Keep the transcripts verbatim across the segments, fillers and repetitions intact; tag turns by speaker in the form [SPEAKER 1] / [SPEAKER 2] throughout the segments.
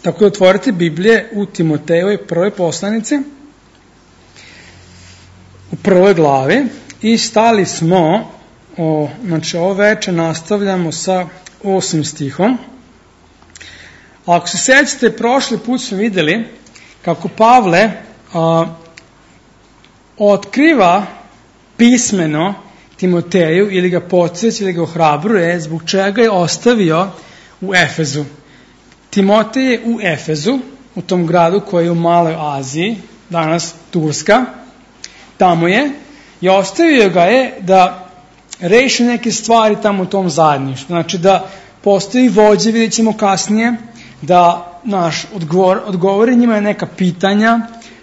[SPEAKER 1] Tako da otvorite Biblije u Timotejevoj prvoj poslanici, u prvoj glavi, i stali smo, o, znači ovo veče nastavljamo sa osmim stihom. Ako se sećate, prošli put smo videli kako Pavle a, otkriva pismeno Timoteju ili ga podsjeća ili ga ohrabruje zbog čega je ostavio u Efezu. Timotej je u Efezu, u tom gradu koji je u Maloj Aziji, danas Turska, tamo je, i ostavio ga je da reši neke stvari tamo u tom zajedništvu. Znači da postoji vođe, vidjet ćemo kasnije, da naš odgovor, odgovori njima neka pitanja,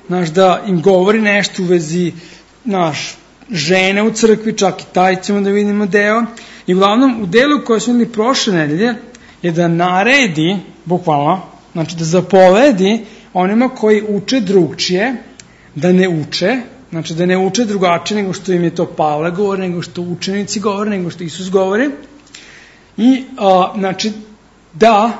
[SPEAKER 1] naš da im govori nešto u vezi naš žene u crkvi, čak i taj ćemo da vidimo deo. I uglavnom u delu koji smo imali prošle nedelje je da naredi, bukvalno, znači da zapovedi onima koji uče drugčije, da ne uče, znači da ne uče drugačije nego što im je to Pavle govori, nego što učenici govore, nego što Isus govori. I a, znači da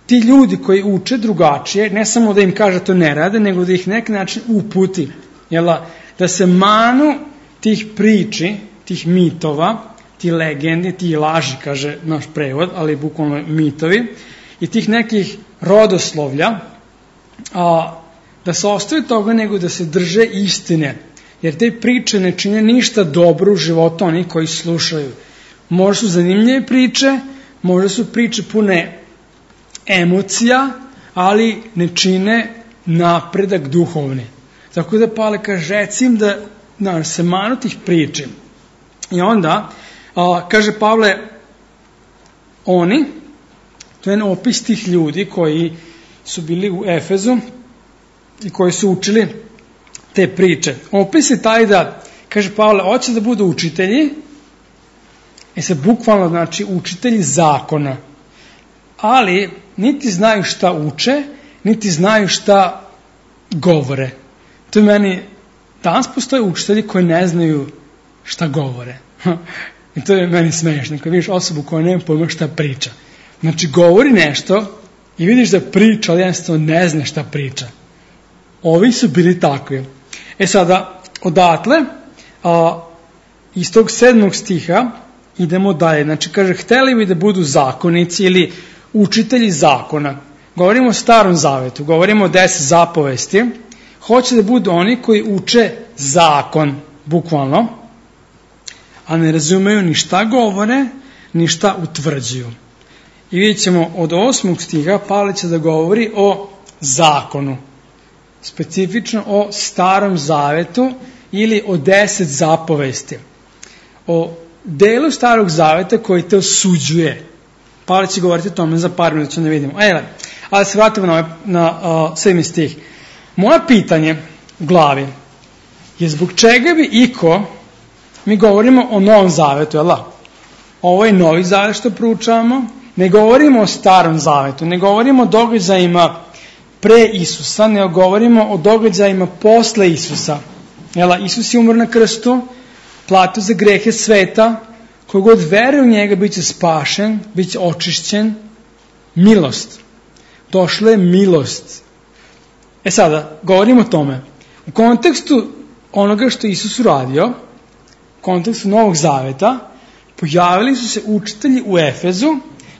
[SPEAKER 1] ti ljudi koji uče drugačije, ne samo da im kaže to ne rade, nego da ih neki način uputi. Jela, da se manu tih priči, tih mitova, ti legendi, ti laži, kaže naš prevod, ali bukvalno mitovi, i tih nekih rodoslovlja, a, da se ostaje toga nego da se drže istine. Jer te priče ne čine ništa dobro u životu onih koji slušaju. Možda su zanimljive priče, možda su priče pune emocija, ali ne čine napredak duhovni. Tako da Pavle kaže, recim da, da se manu tih priči. I onda, a, kaže Pavle, oni, to je opis tih ljudi koji su bili u Efezu i koji su učili te priče. Opis je taj da, kaže Pavle, hoće da budu učitelji, i se bukvalno znači učitelji zakona, ali niti znaju šta uče, niti znaju šta govore. To je meni, danas postoje učitelji koji ne znaju šta govore. I to je meni smešno, kad vidiš osobu koja nema pojma šta priča. Znači, govori nešto i vidiš da priča, ali jednostavno ne zna šta priča. Ovi su bili takvi. E sada, odatle, a, iz tog sedmog stiha, idemo dalje. Znači, kaže, hteli bi da budu zakonici ili učitelji zakona. Govorimo o Starom Zavetu, govorimo o deset zapovesti. Hoće da budu oni koji uče zakon, bukvalno, a ne razumeju ni šta govore, ni šta utvrđuju. I vidjet ćemo od osmog stiha Pavle će da govori o zakonu. Specifično o Starom Zavetu ili o deset zapovesti. O delu Starog Zaveta koji te osuđuje. Pavle će govoriti o tome za par minuta, ćemo da vidimo. Ajde, ali se vratimo na, na uh, sedmi stih. Moje pitanje u glavi je zbog čega bi iko, mi govorimo o Novom Zavetu, jel da? Ovo je Novi Zavet što proučavamo, ne govorimo o Starom Zavetu, ne govorimo o događajima pre Isusa, ne govorimo o događajima posle Isusa. Jel da? Isus je umro na krstu, platio za grehe sveta, kogod veruje u njega bit će spašen, bit će očišćen, milost. Došla je milost. E sada, govorimo o tome. U kontekstu onoga što Isus uradio, u kontekstu Novog Zaveta, pojavili su se učitelji u Efezu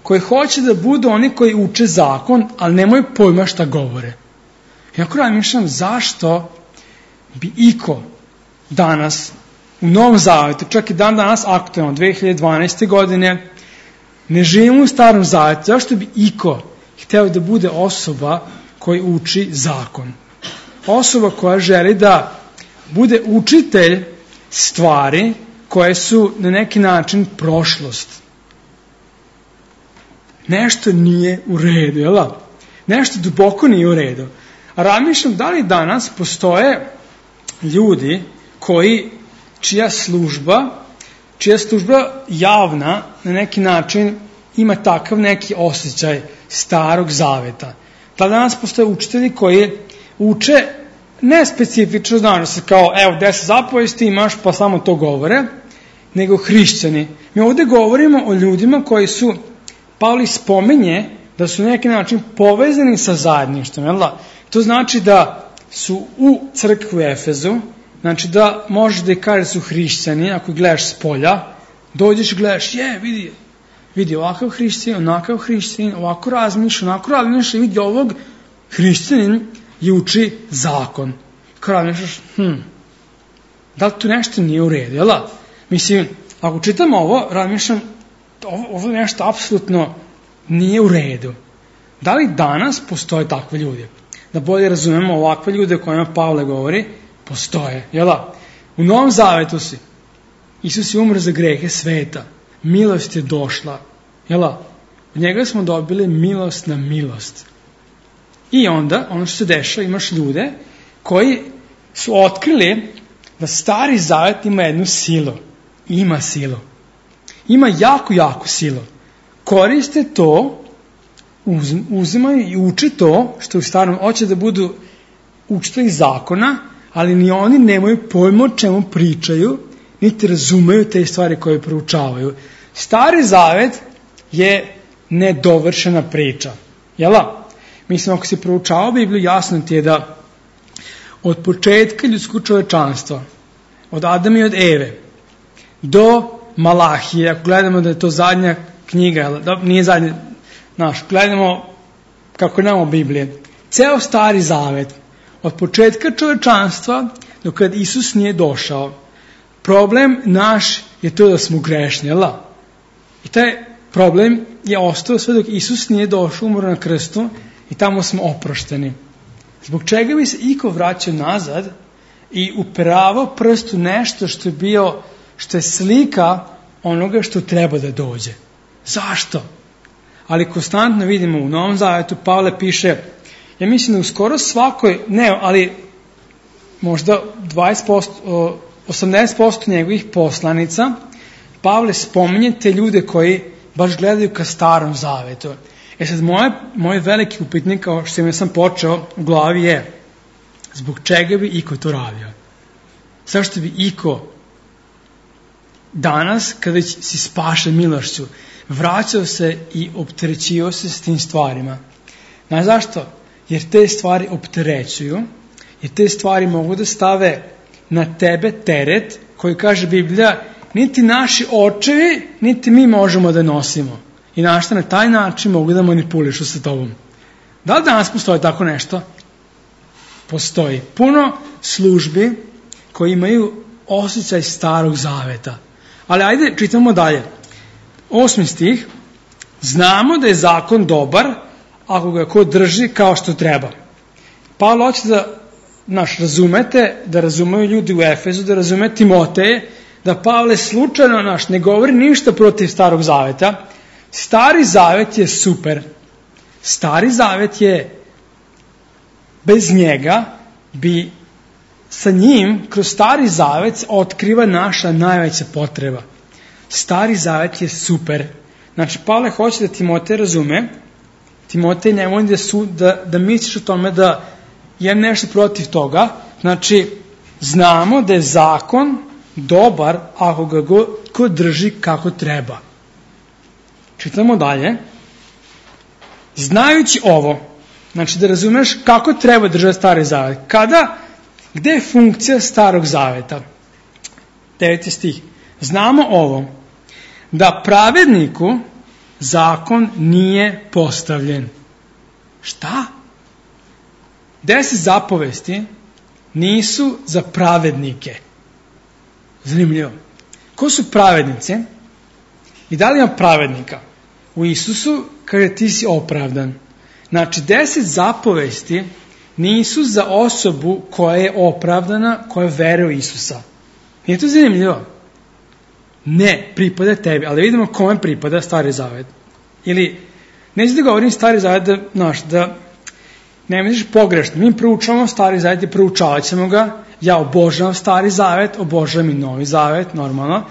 [SPEAKER 1] koji hoće da budu oni koji uče zakon, ali nemaju pojma šta govore. I ako razmišljam zašto bi iko danas u Novom Zavetu, čak i dan danas aktualno, dve hiljade dvanaeste. godine, ne živimo u Starom Zavetu, zašto bi iko hteo da bude osoba koji uči zakon? Osoba koja želi da bude učitelj stvari koje su na neki način prošlost. Nešto nije u redu, jel da? Nešto duboko nije u redu. A razmišljam da li danas postoje ljudi koji, čija služba, čija služba javna na neki način ima takav neki osjećaj Starog Zaveta. Da danas postoje učitelji koji uče ne specifično, znaš se kao, evo, deset zapovesti imaš, pa samo to govore, nego hrišćani. Mi ovdje govorimo o ljudima koji su, Pavle spominje, da su na neki način povezani sa zajedništvom. Jel da? To znači da su u crkvi u Efezu, znači da možeš da i kažeš su hrišćani, ako gledaš s polja, dođeš i gledaš, je, vidi, vidi ovakav hrišćanin, onakav hrišćanin, ovako razmišlja, onako razmišlja, vidi ovog hrišćanin i uči zakon. Kao razmišljaš, hm, da li tu nešto nije u redu, jel da? Mislim, ako čitam ovo, razmišljam, ovo, ovo nešto apsolutno nije u redu. Da li danas postoje takve ljude? Da bolje razumemo ovakve ljude o kojima Pavle govori, postoje, jel da? U Novom Zavetu si, Isus je umro za grehe sveta, milost je došla, jel da? Od njega smo dobili milost na milost. I onda, ono što se dešava, imaš ljude koji su otkrili da Stari Zavet ima jednu silu. Ima silu. Ima jako, jako silu. Koriste to, uz, uzimaju i uče to, što u starom hoće da budu učitelji zakona, ali ni oni nemaju pojma o čemu pričaju, niti razumeju te stvari koje proučavaju. Stari Zavet je nedovršena priča. Jel da? Mislim, ako si proučavao Bibliju, jasno ti je da od početka ljudskog čovečanstva, od Adama i od Eve, do Malahije, ako gledamo da je to zadnja knjiga, da, nije zadnja, znaš, gledamo kako nemamo Biblije, ceo Stari Zavet, od početka čovečanstva do kad Isus nije došao, problem naš je to da smo grešni, jel da? I taj problem je ostao sve dok Isus nije došao, umro na krstu, i tamo smo oprošteni. Zbog čega bi se iko vraćao nazad i uperavao prst u nešto što je bio, što je slika onoga što treba da dođe? Zašto? Ali konstantno vidimo u Novom Zavetu, Pavle piše, ja mislim da u skoro svakoj, ne, ali možda dvadeset posto, osamdeset posto njegovih poslanica, Pavle spominje te ljude koji baš gledaju ka Starom Zavetu. E sad, moje, moj veliki upitnik, kao što im sam počeo u glavi je, zbog čega bi iko to radio? Zašto bi iko danas, kada si spašen milošću, vraćao se i opterećio se s tim stvarima? Znaš zašto? Jer te stvari opterećuju, jer te stvari mogu da stave na tebe teret koji, kaže Biblija, niti naši očevi, niti mi možemo da nosimo. I našta na taj način mogu da manipulišu sa tobom. Da li danas postoji tako nešto? Postoji. Puno službi koji imaju osjećaj Starog Zaveta. Ali ajde, čitamo dalje. Osmi stih. Znamo da je zakon dobar ako ga ko drži kao što treba. Pavle hoće da naš, razumete, da razumeju ljudi u Efezu, da razume Timoteje, da Pavle slučajno naš ne govori ništa protiv Starog Zaveta. Stari Zavet je super. Stari Zavet je, bez njega bi sa njim, kroz Stari Zavet otkriva naša najveća potreba. Stari Zavet je super. Znači, Pavle hoće da Timotej razume, Timotej nemoj da, su, da, da misliš o tome da je nešto protiv toga. Znači, znamo da je zakon dobar ako ga go, ko drži kako treba. Čitamo dalje. Znajući ovo, znači da razumeš kako treba držati Stari Zavet. Kada, gde je funkcija Starog Zaveta? Deveti stih. Znamo ovo, da pravedniku zakon nije postavljen. Šta? Deset zapovesti nisu za pravednike. Zanimljivo. Ko su pravednici? I da li ima pravednika? U Isusu, kaže, ti si opravdan. Znači, deset zapovesti nisu za osobu koja je opravdana, koja veruje u Isusa. Nije to zanimljivo? Ne, pripada tebi, ali vidimo kome pripada Stari Zavet. Ili, neću da govorim Stari Zavet da, znaš, da ne misliš pogrešno. Mi proučavamo Stari Zavet i proučavat ćemo ga. Ja obožavam Stari Zavet, obožavam i Novi Zavet, normalno.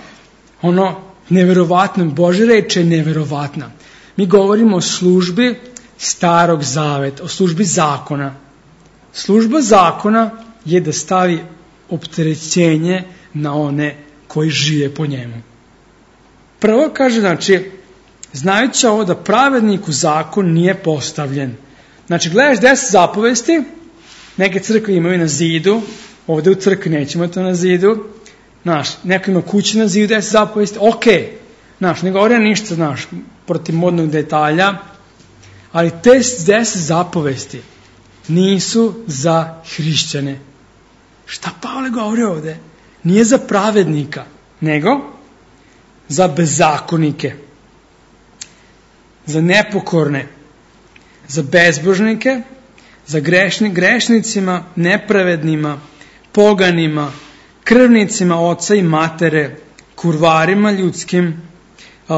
[SPEAKER 1] Ono, neverovatno, Božja reč je neverovatna. Mi govorimo o službi Starog Zaveta, o službi zakona. Služba zakona je da stavi opterećenje na one koji žive po njemu. Prvo kaže, znači, znajući ovo da pravednik u zakon nije postavljen. Znači, gledaš deset zapovesti, neke crkve imaju na zidu, ovde u crkvi nećemo to na zidu, znaš, neko ima kući na zidu deset zapovesti, ok, znaš, ne govori ništa, znaš, protiv modnog detalja, ali te deset zapovesti nisu za hrišćane. Šta Pavle govori ovde? Nije za pravednika, nego za bezakonike, za nepokorne, za bezbožnike, za grešni, grešnicima, nepravednima, poganima, krvnicima oca i matere, kurvarima ljudskim, uh,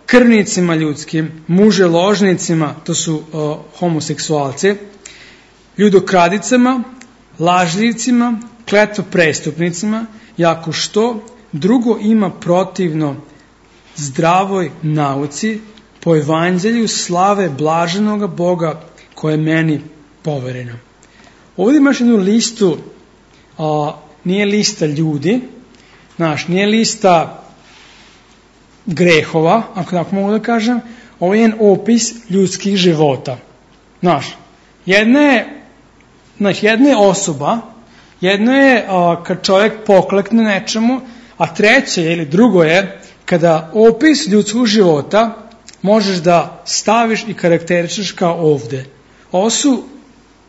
[SPEAKER 1] krvnicima ljudskim, muželožnicima, to su uh, homoseksualci, ljudokradicama, lažljivcima, kletvoprestupnicima, i ako što drugo ima protivno zdravoj nauci, po evanđelju slave blaženoga Boga koje je meni povereno. Ovdje imaš jednu listu, a, nije lista ljudi, znaš, nije lista grehova, ako tako mogu da kažem, ovo je jedan opis ljudskih života. Znaš, jedna je, znaš, jedna je osoba, jedno je a, kad čovjek poklekne nečemu, a treće ili drugo je kada opis ljudskog života možeš da staviš i karakteričeš kao ovde. Ovo su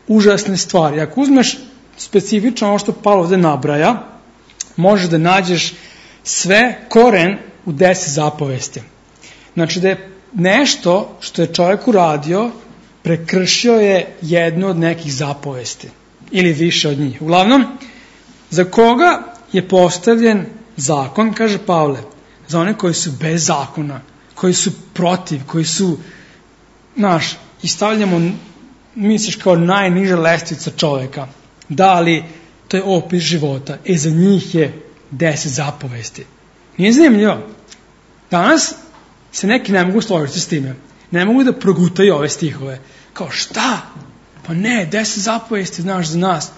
[SPEAKER 1] užasne stvari. Ako uzmeš specifično ovo što Pavle ovde nabraja, možeš da nađeš sve koren u deset zapovesti. Znači da je nešto što je čovjek uradio, prekršio je jednu od nekih zapovesti. Ili više od njih. Uglavnom, za koga je postavljen zakon, kaže Pavle, za one koji su bez zakona, koji su protiv, koji su, znaš, i stavljamo, misliš, kao najniža lestvica čoveka. Da, ali to je opis života. E, za njih je deset zapovesti. Nije zanimljivo. Danas se neki ne mogu složiti s time. Ne mogu da progutaju ove stihove. Kao, šta? Pa ne, deset zapovesti, znaš, za nas.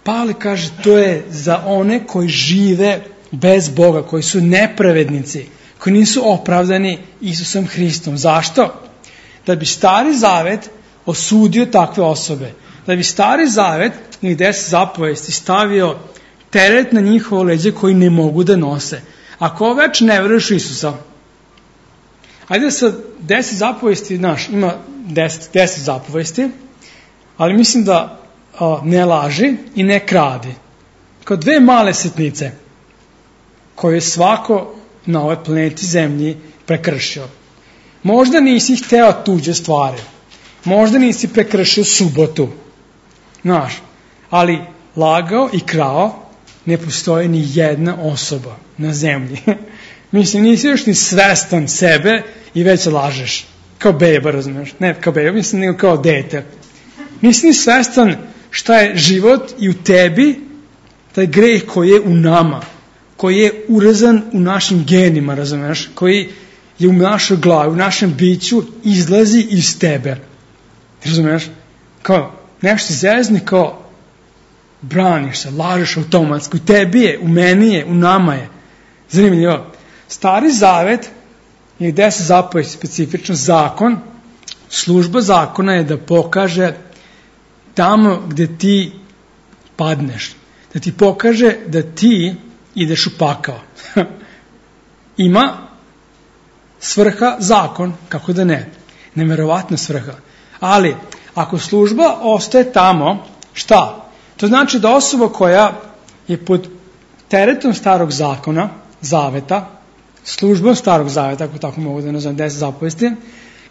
[SPEAKER 1] Pavle kaže, to je za one koji žive bez Boga, koji su nepravednici, koji nisu opravdani Isusom Hristom. Zašto? Da bi Stari Zavet osudio takve osobe. Da bi Stari Zavet ili deset zapovesti stavio teret na njihovo leđe koji ne mogu da nose. Ako već ne veruješ u Isusa, ajde sa deset zapovesti, znaš, ima deset, deset zapovesti, ali mislim da a, ne laži i ne kradi. Kao dve male sitnice koje svako na ovoj planeti Zemlji prekršio. Možda nisi hteo tuđe stvari. Možda nisi prekršio subotu. Znaš, ali lagao i krao ne postoji ni jedna osoba na zemlji. Mislim, nisi još ni svestan sebe i već lažeš. Kao beba, razumiješ? Ne kao beba, mislim, nego kao dete. Nisi ni svestan šta je život i u tebi, taj greh koji je u nama, koji je urezan u našim genima, razumiješ? Koji je u našoj glavi, u našem biću, izlazi iz tebe. Razumiješ? Kao nešto zezni, kao braniš se, lažeš automatski. U tebi je, u meni je, u nama je. Zanimljivo. Stari Zavet je deset zapovesti, specifično zakon. Služba zakona je da pokaže tamo gde ti padneš. Da ti pokaže da ti ideš u pakao. Ima svrha zakon, kako da ne. Neverovatna svrha. Ali, ako služba ostaje tamo, šta? To znači da osoba koja je pod teretom starog zakona, zaveta, službom starog zaveta, ako tako mogu da nazovem deset zapovesti,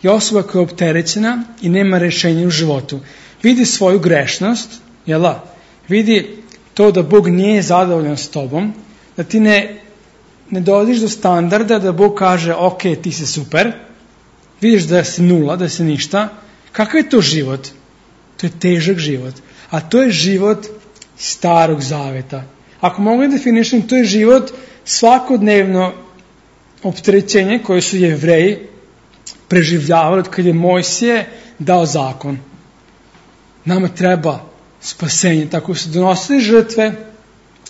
[SPEAKER 1] je osoba koja je opterećena i nema rešenja u životu. Vidi svoju grešnost, jel da? Vidi to da Bog nije zadovoljan s tobom, da ti ne, ne dolaziš do standarda da Bog kaže, ok, ti si super, vidiš da si nula, da si ništa. Kakav je to život? To je težak život. A to je život starog zaveta. Ako mogu da definišem, to je život svakodnevno opterećenje koje su Jevreji preživljavali od kad je Mojsije dao zakon. Nama treba spasenje. Tako su donosili žrtve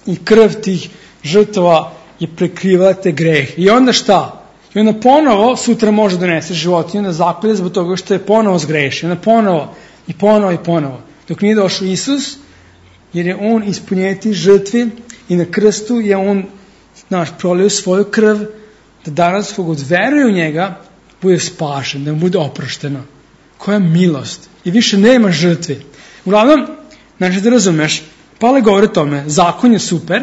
[SPEAKER 1] i krv tih žrtava je prekrivala te grehe. I onda šta? I onda ponovo sutra može donese životinju, onda zakolje zbog toga što je ponovo zgrešio. Onda ponovo i ponovo i ponovo. Dok nije došao Isus, jer je on ispunjeti žrtvi i na krstu je on, znaš, prolio svoju krv, da danas kogod veruje u njega, bude spašen, da mu bude oprošteno. Koja milost. I više nema žrtvi. Uglavnom, znači da razumeš, Pavle govori o tome, zakon je super,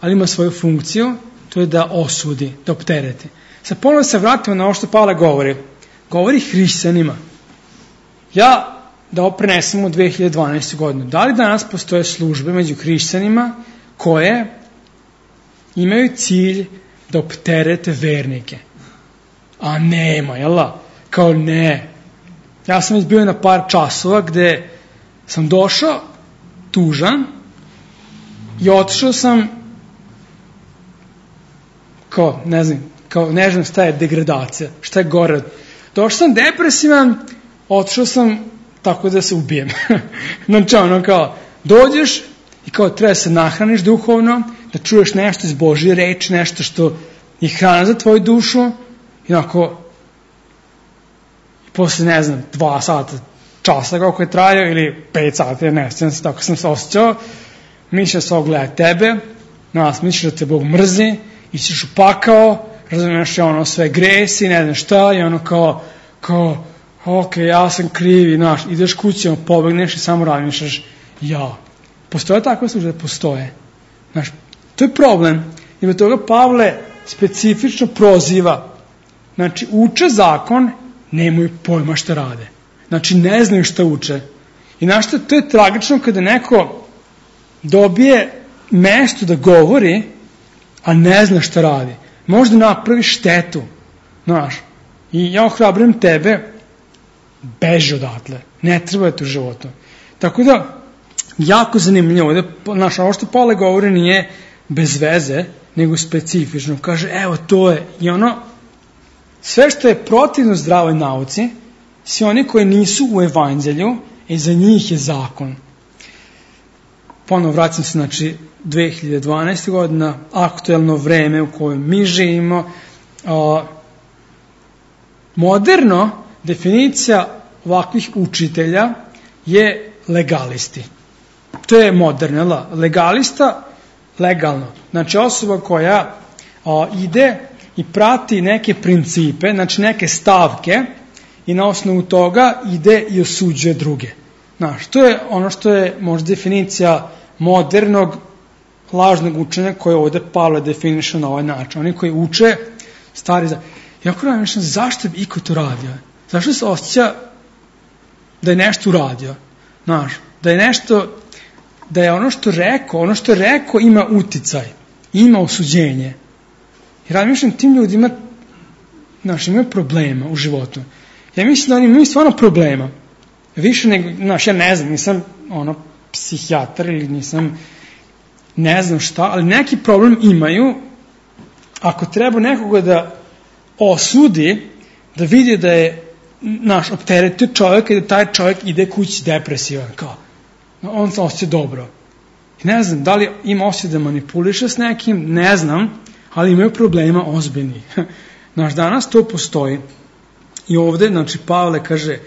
[SPEAKER 1] ali ima svoju funkciju, to je da osudi, da optereti. Sad ponovno se vratimo na ovo što Pavle govori. Govori hrišćanima. Ja, da ovo prenesem u dve hiljade dvanaeste. godinu, da li danas postoje službe među hrišćanima koje imaju cilj da opterete vernike? A nema, jel da? Kao ne. Ja sam već bio na par časova gde sam došao tužan i otišao sam kao, ne znam, kao ne znam šta je degradacija, šta je gore. Došao sam depresivan, otišao sam tako da se ubijem. Znači ono kao, dođeš i kao treba se nahraniš duhovno, da čuješ nešto iz Božje reči, nešto što je hrana za tvoju dušu i onako posle, ne znam, dva sata časa kako je trajao ili pet sata, ne znam, tako sam se osjećao, misliš da se ogleda tebe, nas misliš da te Bog mrzi, ićeš u pakao, razumiješ je ono sve gresi, ne znam šta, i ono kao, kao, ok, ja sam krivi, znaš, ideš kući, ono, pobegneš i samo razmišljaš, ja. Postoje takve službe? Postoje. Znaš, to je problem. I od toga Pavle specifično proziva. Znači, uče zakon, nemaju pojma šta rade. Znači, ne znaju šta uče. I znaš što, to je tragično kada neko dobije mesto da govori, a ne zna šta radi. Možda napravi štetu. Znaš, i ja ohrabrim tebe, beži odatle. Ne treba je to u životu. Tako da, jako zanimljivo. Da, znaš, ovo što Pavle govori nije bez veze, nego specifično. Kaže, evo, to je. I ono, sve što je protivno zdravoj nauci, svi oni koji nisu u evanđelju, i za njih je zakon. Ponovo vraćam se, znači, dve hiljade dvanaeste. godina, aktuelno vreme u kojem mi živimo. A, moderno, definicija ovakvih učitelja je legalisti. To je moderno, legalista, legalno. Znači osoba koja a, ide i prati neke principe, znači neke stavke i na osnovu toga ide i osuđuje druge. Znaš, to je ono što je možda definicija modernog lažnog učenja koje ovde Pavle definiše na ovaj način. Oni koji uče stari za... Jako razmišljam, zašto bi iko to radio? Zašto se osjeća da je nešto uradio? Znaš, da je nešto, da je ono što rekao, ono što je rekao ima uticaj, ima osuđenje. I razmišljam, tim ljudima, znaš, imaju problema u životu. Ja mislim da oni imaju stvarno problema. Više nego, znaš, ja ne znam, nisam ono, psihijatar ili nisam, ne znam šta, ali neki problem imaju ako treba nekoga da osudi, da vidi da je naš opteretio čovjek i da taj čovjek ide kući depresivan, kao, on se osjeća dobro. I ne znam, da li ima osjeća da manipuliše s nekim, ne znam, ali imaju problema ozbiljnih. Naš danas to postoji. I ovde, znači, Pavle kaže,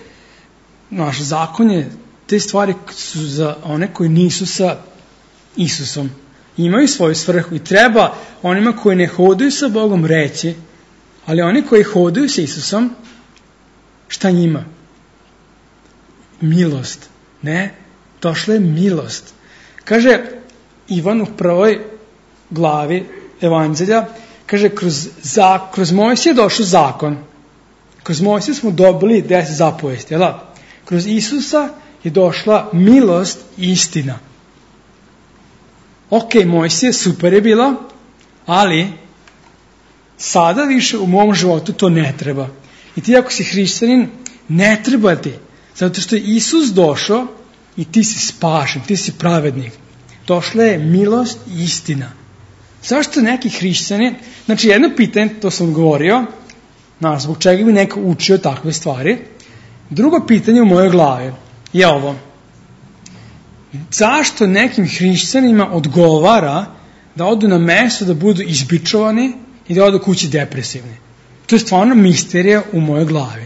[SPEAKER 1] naš zakon je, te stvari su za one koji nisu sa Isusom. Imaju svoju svrhu i treba onima koji ne hodaju sa Bogom reći, ali oni koji hodaju sa Isusom, šta njima? Milost. Ne, došla je milost. Kaže Ivan u prvoj glavi Evanđelja, kaže, kroz, za, kroz Mojsija je došao zakon. Kroz Mojsija smo dobili deset zapovesti, jel da? Kroz Isusa je došla milost i istina. Ok, Mojsije, super je bilo, ali sada više u mom životu to ne treba. I ti ako si hrišćanin, ne treba ti. Zato što je Isus došao i ti si spašen, ti si pravednik. Došla je milost i istina. Zašto neki hrišćani, znači jedno pitanje, to sam govorio, znaš, zbog čega bi neko učio takve stvari. Drugo pitanje u mojoj glavi je ovo. Zašto nekim hrišćanima odgovara da odu na mesto da budu izbičovani i da odu kući depresivni? To je stvarno misterija u mojoj glavi.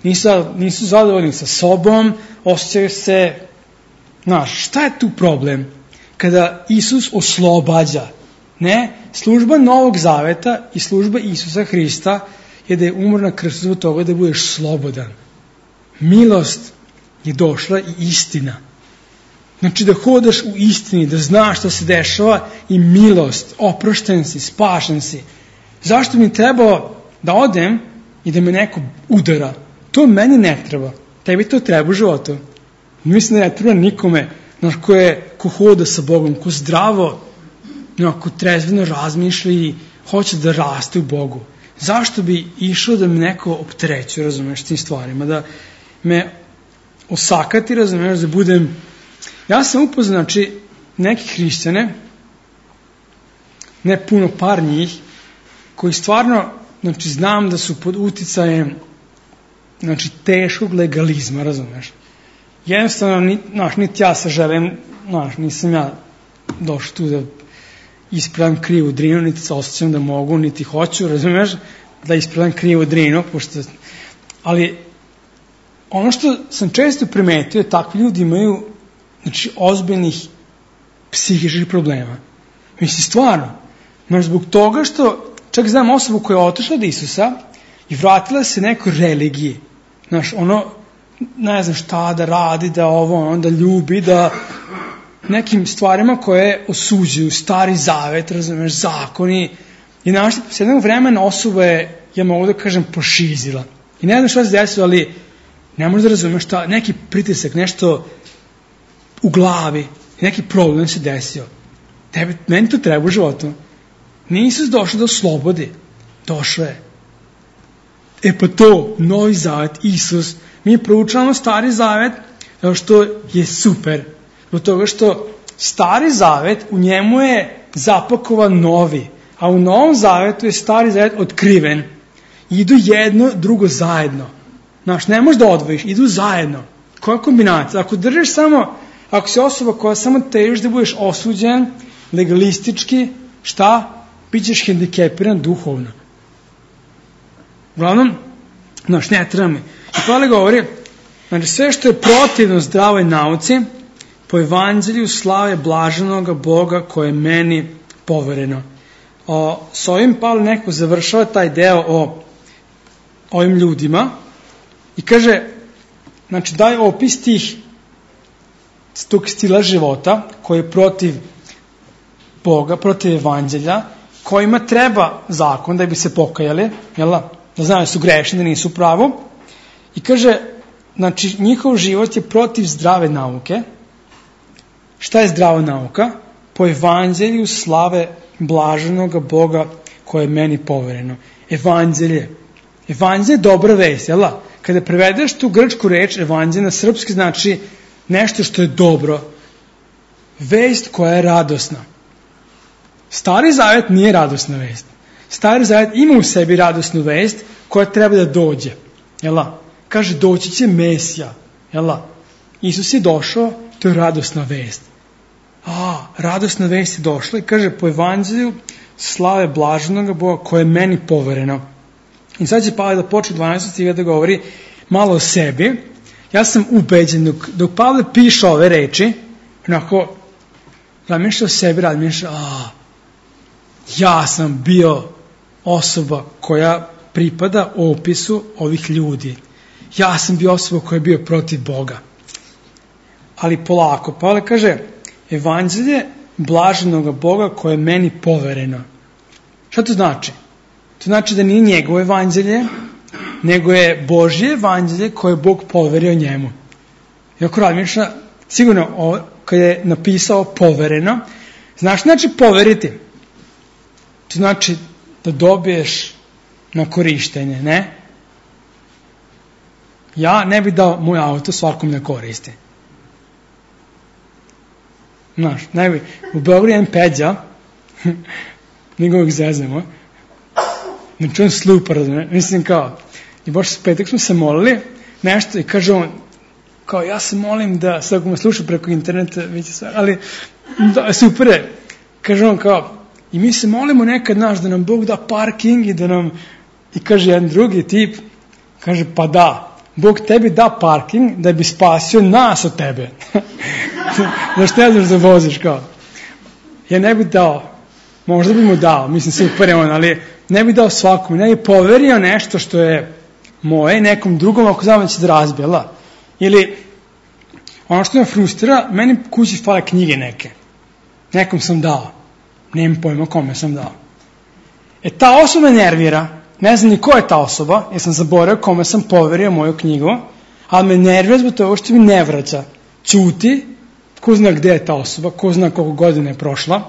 [SPEAKER 1] Nisu, nisu zadovoljni sa sobom, osjećaju se, znaš, šta je tu problem? Kada Isus oslobađa, ne, služba Novog Zaveta i služba Isusa Hrista je da je umro na krstu zbog toga da budeš slobodan. Milost je došla i istina. Znači da hodaš u istini, da znaš šta se dešava i milost, oprošten si, spašen si. Zašto mi trebao da odem i da me neko udara? To meni ne treba. Tebi to treba u životu. Mislim da ne treba nikome, znaš, ko, je, ko hoda sa Bogom, ko zdravo, ko trezveno razmišlja i hoće da raste u Bogu. Zašto bi išao da me neko opterećuje, razumeš, tim stvarima, da me osakati, razumeš, da budem... Ja sam upoznao, znači, neki hrišćane, ne puno, par njih, koji stvarno, znači, znam da su pod uticajem, znači, teškog legalizma, razumeš. Jednostavno, ni, znaš, niti ja se želim, znaš, nisam ja došao tu da ispravim krivu drinu, niti se osjećam da mogu, niti hoću, razumeš, da ispravim krivu drinu, pošto... Ali, ono što sam često primetio, takvi ljudi imaju, znači, ozbiljnih psihičkih problema. Mislim, stvarno, znaš, zbog toga što, čak znam osobu koja je otišla od Isusa i vratila se nekoj religiji, znaš, ono, ne znam šta da radi, da ovo, onda ljubi, da nekim stvarima koje osuđuju, stari zavet, razumeš, zakoni, i znaš, s jednog vremena osoba je, ja mogu da kažem, pošizila. I ne znam šta se desilo, ali ne možeš da razumeš šta, neki pritisak, nešto u glavi, neki problem se desio. Tebi, meni to treba u životu. Nije Isus došao da oslobodi. Došao je. E pa to, Novi Zavet, Isus, mi proučavamo Stari Zavet, zato što je super. Zbog toga što Stari Zavet, u njemu je zapakovan novi, a u Novom Zavetu je Stari Zavet otkriven. Idu jedno, drugo zajedno. Znaš, ne možeš da odvojiš, idu zajedno. Koja kombinacija? Ako držiš samo, ako si osoba koja samo težiš da budeš osuđen, legalistički, šta? Bićeš hendikepiran duhovno. Uglavnom, znaš, ne treba mi. I Pavle govori, znači sve što je protivno zdravoj nauci, po evanđelju slave blaženoga Boga koje je meni povereno. O, s ovim Pavle neko završava taj deo o ovim ljudima i kaže, znači daj opis tih tog stila života koji je protiv Boga, protiv evanđelja, kojima treba zakon da bi se pokajali, jel da? Da znaju da su grešni, da nisu pravo. I kaže, znači njihov život je protiv zdrave nauke. Šta je zdrava nauka? Po evanđelju slave blaženoga Boga koje je meni povereno. Evanđelje. Evanđelje je dobra vest, jel da? Kada prevedeš tu grčku reč, evanđelje na srpski znači nešto što je dobro. Vest koja je radosna. Stari Zavet nije radosna vest. Stari Zavet ima u sebi radosnu vest koja treba da dođe. Jel da? Kaže, doći će Mesija. Jel da? Isus je došao, to je radosna vest. A, radosna vest je došla i kaže, po evanđelju slave blaženoga Boga koje je meni povereno. I sad će Pavle da počne dvanaestog stiha da govori malo o sebi. Ja sam ubeđen, dok, dok Pavle piše ove reči, onako, razmišlja o sebi, razmišlja, a, ja sam bio osoba koja pripada opisu ovih ljudi. Ja sam bio osoba koja je bio protiv Boga. Ali polako, Pavle kaže, evanđelje blaženoga Boga koje je meni povereno. Šta to znači? To znači da nije njegovo evanđelje, nego je Božje evanđelje koje je Bog poverio njemu. I ako razmišlja, sigurno o, kad je napisao povereno, znaš znači poveriti? To znači da dobiješ na korištenje, ne? Ja ne bih dao moj auto svakom na koristi. Znaš, ne bi. U Beogradu je Peđa, mi ga uvijek zezemo, znači on slupa, razumije, mislim kao, i baš s petak smo se molili, nešto, i kaže on, kao ja se molim da, sad ako me sluša preko interneta, vidite sve, ali da, super je, kaže on kao, i mi se molimo nekad naš da nam Bog da parking i da nam, I kaže jedan drugi tip, kaže pa da, Bog tebi da parking da bi spasio nas od tebe. Znaš, ne znaš da voziš kao. Ja ne bih dao, možda bi mu dao, mislim super je on, ali ne bih dao svakom, ne bih poverio nešto što je moje nekom drugom ako znam da će da razbijela. Ili ono što me frustrira, meni kući fale knjige neke. Nekom sam dao. Nemam pojma kome sam dao. E ta osoba me nervira. Ne znam ni ko je ta osoba, jer sam zaboravio kome sam poverio moju knjigu, ali me nervira zbog toga što mi ne vraća. Ćuti, ko zna gde je ta osoba, ko zna koliko godina je prošla.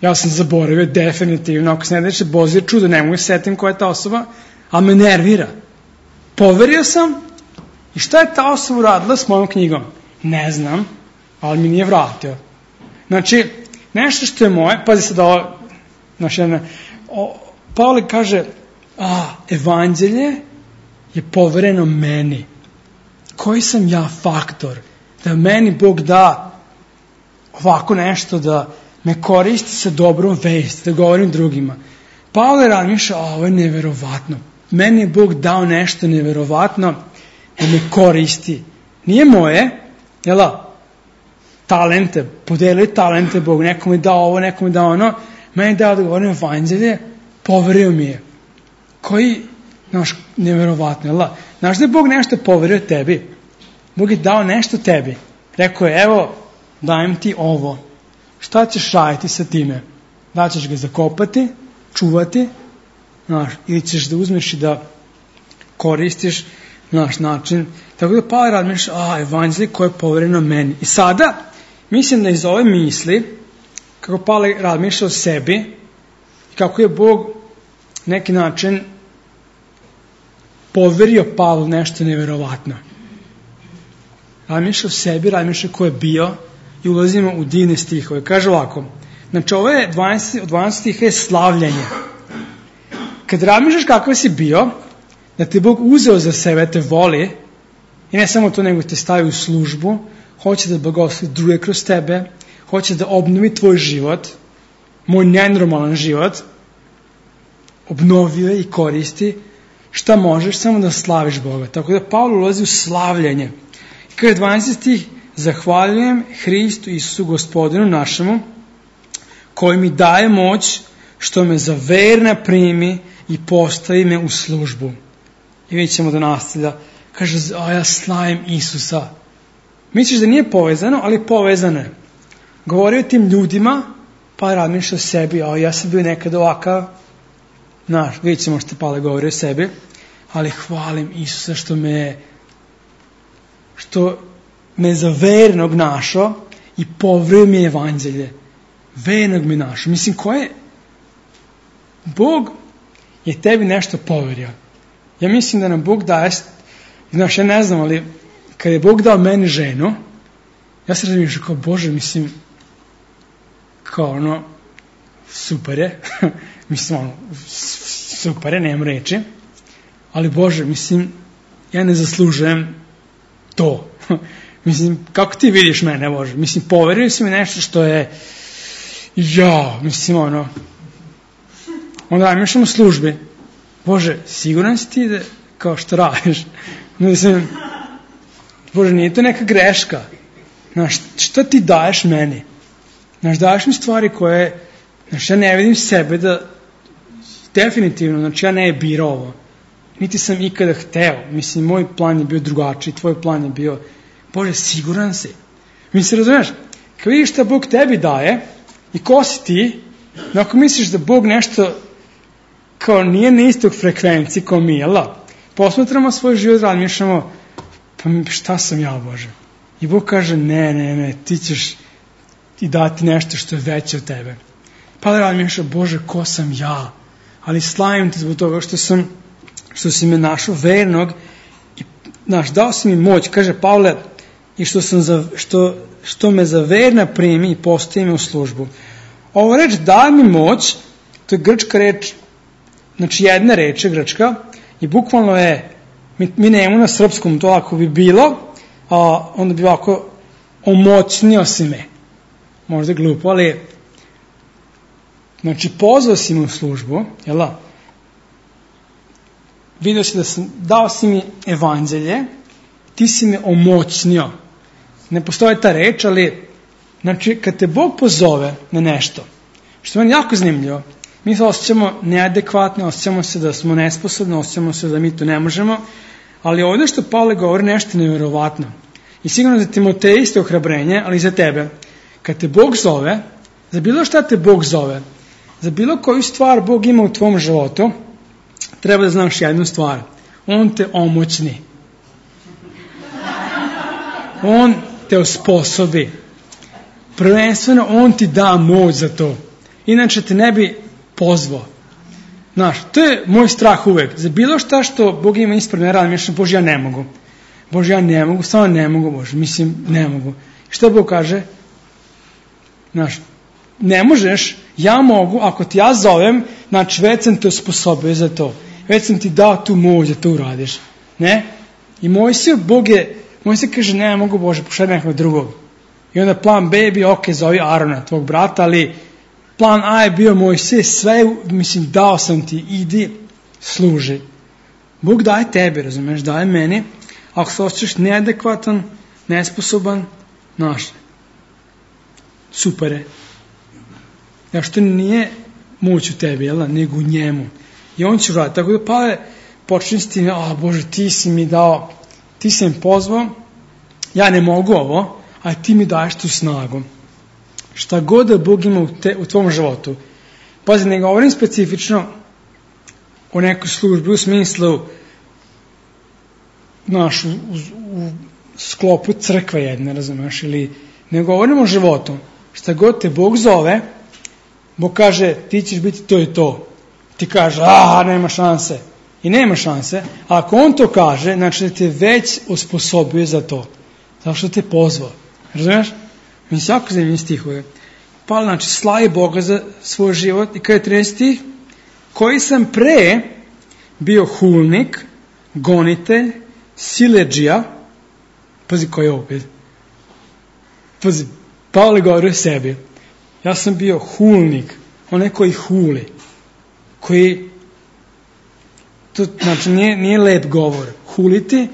[SPEAKER 1] Ja sam zaboravio definitivno, ako se ne deše Božje čudo, ne mogu setim ko je ta osoba, ali me nervira. Poverio sam i šta je ta osoba uradila s mojom knjigom? Ne znam, ali mi nije vratio. Znači, nešto što je moje, pazi sad ovo, znači, Pavle kaže, a, evanđelje je povereno meni. Koji sam ja faktor? Da meni Bog da ovako nešto, da me koristi sa dobrom vesti, da govorim drugima. Pavle razmišlja, a ovo je neverovatno. Meni je Bog dao nešto neverovatno da me koristi. Nije moje, jela, talente, podelio talente Bog, nekom je dao ovo, nekom je dao ono, meni je dao da govorim evanđelje, poverio mi je. Koji, znaš, neverovatno, jela. Znaš da je Bog nešto poverio tebi? Bog je dao nešto tebi. Rekao je, evo, dajem ti ovo. Šta ćeš raditi sa time? Da ćeš ga zakopati, čuvati, znaš, ili ćeš da uzmeš i da koristiš naš način. Tako da Pavle razmišlja, a, evanđelje koje je povereno meni. I sada, mislim da iz ove misli, kako Pavle razmišlja o sebi, i kako je Bog neki način poverio Pavlu nešto neverovatno. Razmišlja o sebi, razmišlja ko je bio i ulazimo u divne stihove. Kaže ovako, znači ovo je dvanaest, dvanaest stiha je slavljenje. Kad razmišljaš kako si bio, da te Bog uzeo za sebe, te voli, i ne samo to, nego te stavi u službu, hoće da blagoslovi druge kroz tebe, hoće da obnovi tvoj život, moj nenormalan život, obnovio i koristi, šta možeš, samo da slaviš Boga. Tako da Pavle ulazi u slavljenje. I kada je dvanaesti stih, zahvaljujem Hristu Isusu Gospodinu našemu, koji mi daje moć, što me za verna primi i postavi me u službu. I vidjet ćemo da nastavlja. Kaže, a ja slavim Isusa. Misliš da nije povezano, ali povezano je. Govori o tim ljudima, pa razmišlja o sebi, a ja sam bio nekad ovakav. Znaš, vidjet ćemo što Pavle govori o sebi, ali hvalim Isusa što me što me za vernog našao i poverio mi evanđelje. Vernog me našao. Mislim, ko je? Bog je tebi nešto poverio. Ja mislim da nam Bog daje, znaš, ja ne znam, ali kad je Bog dao meni ženu, ja se razmišljam kao, Bože, mislim, kao ono, super je, mislim, ono, super je, nemam reči, ali Bože, mislim, ja ne zaslužujem to. Mislim, kako ti vidiš mene, Bože? Mislim, poverio si mi nešto što je, ja, mislim, ono, onda razmišljam u službi, Bože, siguran si ti da, kao što radiš? Mislim, Bože, nije to neka greška. Znaš, šta ti daješ meni? Znaš, daješ mi stvari koje, znaš, ja ne vidim sebe da, definitivno, znači, ja ne je birao ovo. Niti sam ikada hteo. Mislim, moj plan je bio drugačiji, tvoj plan je bio, Bože, siguran si. Mislim, razumiješ, kad vidiš šta Bog tebi daje i ko si ti, ako misliš da Bog nešto kao nije na istog frekvenciji kao mi, jel da? Posmatramo svoj život, razmišljamo, pa šta sam ja, Bože? I Bog kaže, ne, ne, ne, ti ćeš i dati nešto što je veće od tebe. Pa da razmišljam, Bože, ko sam ja? Ali slavim te zbog toga što sam, što si me našao vernog i, znaš, dao si mi moć, kaže Pavle, i što, sam za, što, što me za verna primi i postavi me u službu. Ovo reč da mi moć, to je grčka reč, znači jedna reč je grčka i bukvalno je, mi, mi nemamo na srpskom, to ako bi bilo, a onda bi ovako omoćnio si me. Možda glupo, ali znači pozvao si me u službu, jel da? vidio si da sam, dao si mi evanđelje, ti si me omoćnio. Ne postoji ta reč, ali znači kad te Bog pozove na nešto, što je meni jako zanimljivo, mi se osjećamo neadekvatno, osjećamo se da smo nesposobni, osjećamo se da mi to ne možemo, ali ovdje što Pavle govori nešto nevjerovatno. I sigurno za Timoteja isto ohrabrenje, ali i za tebe. Kad te Bog zove, za bilo šta te Bog zove, za bilo koju stvar Bog ima u tvom životu, treba da znaš jednu stvar. On te omoćni. On te osposobi. Prvenstveno on ti da moć za to. Inače te ne bi pozvao. Znaš, to je moj strah uvek. Za bilo šta što Bog ima ispred ne radim, mislim, Bože, ja ne mogu. Bože, ja ne mogu, stvarno ne mogu, Bože, mislim, ne mogu. I što Bog kaže? Znaš, ne možeš, ja mogu, ako ti ja zovem, znači već sam te osposobio za to. Već sam ti dao tu moć da to uradiš. Ne? I Mojsije, Bog je, Mojsije kaže, ne mogu, Bože, pošalj nekog drugog. I onda plan B je bio, ok, zovi Arona, tvog brata, ali plan A je bio Mojsije, sve, mislim, dao sam ti, idi, služi. Bog daje tebi, razumeš, daje meni. Ako se osjećaš neadekvatan, nesposoban, znaš, super je. Ja što nije moć u tebi, jel, nego u njemu. I on će vratiti. Tako da Pavle počne s tim, a Bože, ti si mi dao, ti si mi pozvao, ja ne mogu ovo, a ti mi daješ tu snagu. Šta god da Bog ima u, te, u tvom životu. Pazi, ne govorim specifično o nekoj službi u smislu naš, u, u, u sklopu crkve jedne, razumeš, ili ne govorim o životu. Šta god te Bog zove, Bog kaže, ti ćeš biti to i to. Ti kaže, a, nema šanse. I nema šanse. A ako on to kaže, znači da te već osposobio za to. Zato što te pozvao. Razumiješ? Mi se jako zanimljivi stihove. Pa, znači, slavi Boga za svoj život. I kada je trinaesti stih, koji sam pre bio hulnik, gonitelj, siledžija. Pazi koji je opet. Pazi, Pavle govori o sebi. Ja sam bio hulnik, onaj koji huli, koji, to znači nije, nije lep govor. Huliti,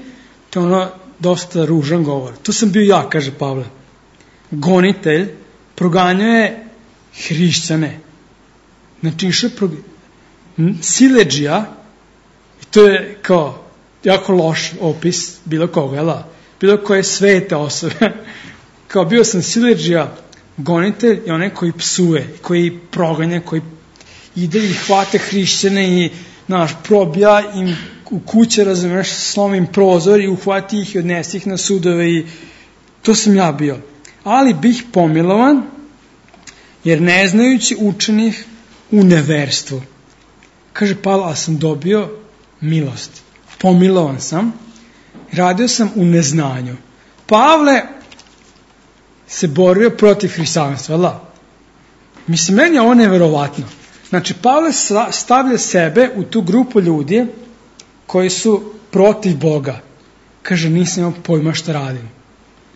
[SPEAKER 1] to je ono dosta ružan govor. To sam bio ja, kaže Pavle. Gonitelj, proganjao je hrišćane. Znači išao prog... siledžija, i to je kao jako loš opis bilo koga, jel? Bilo koje svete osobe. Kao bio sam siledžija, gonitelj je onaj koji psuje, koji proganja, koji ide i hvate hrišćane i, znaš, probija im u kuće, razumeš, slomim prozor i uhvati ih i odnesi ih na sudove i to sam ja bio. Ali bih pomilovan, jer ne znajući učenih u neverstvu. Kaže Pavle, a sam dobio milost. Pomilovan sam, radio sam u neznanju. Pavle se borio protiv hrišćanstva, jel' da? Mislim, meni je ovo neverovatno. Znači, Pavle stavlja sebe u tu grupu ljudi koji su protiv Boga. Kaže, nisam imao pojma šta radim.